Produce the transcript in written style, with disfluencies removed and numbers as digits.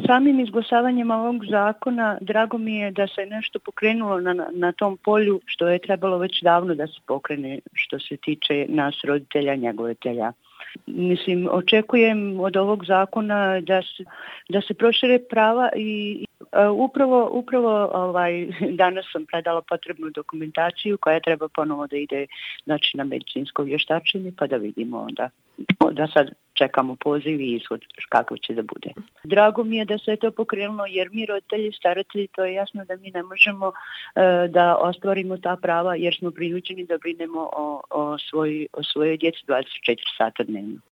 Samim izglasavanjem ovog zakona drago mi je da se nešto pokrenulo na tom polju što je trebalo već davno da se pokrene što se tiče nas roditelja, njegovatelja. Mislim, očekujem od ovog zakona da se prošire prava i upravo danas sam predala potrebnu dokumentaciju koja treba ponovo da ide na medicinsko vještačenje pa da vidimo onda. Da sad čekamo poziv i ishod kako će da bude. Drago mi je da se je to pokrenulo jer mi roditelji, staratelji, to je jasno da mi ne možemo da ostvarimo ta prava jer smo prinuđeni da brinemo o svojoj djeci 24 sata dnevno.